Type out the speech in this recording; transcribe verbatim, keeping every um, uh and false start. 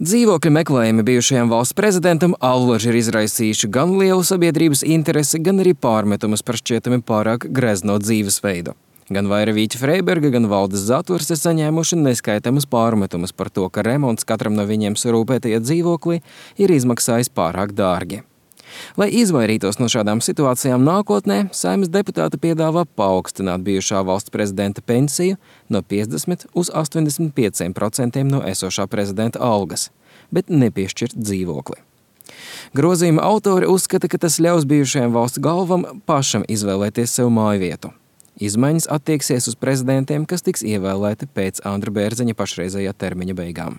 Dzīvokļu meklējumi bijušajam valsts prezidentam allaži ir izraisījuši gan lielu sabiedrības interesi, gan arī pārmetumus par šķietami pārāk grezno dzīvesveidu. Gan Vaira Vīķa Freiberga, gan Valdis Zaturs ir saņēmuši neskaitamus pārmetumus par to, ka remonts katram no viņiem sarūpētajā dzīvoklī ir izmaksājis pārāk dārgi. Lai izvairītos no šādām situācijām nākotnē, Saeimas deputāti piedāvā paaugstināt bijušā valsts prezidenta pensiju no piecdesmit uz astoņdesmit pieciem procentiem no esošā prezidenta algas, bet nepiešķirt dzīvokli. Grozījuma autori uzskata, ka tas ļaus bijušajam valsts galvam pašam izvēlēties sev mājvietu. Izmaiņas attieksies uz prezidentiem, kas tiks ievēlēti pēc Andra Bērziņa pašreizējā termiņa beigām.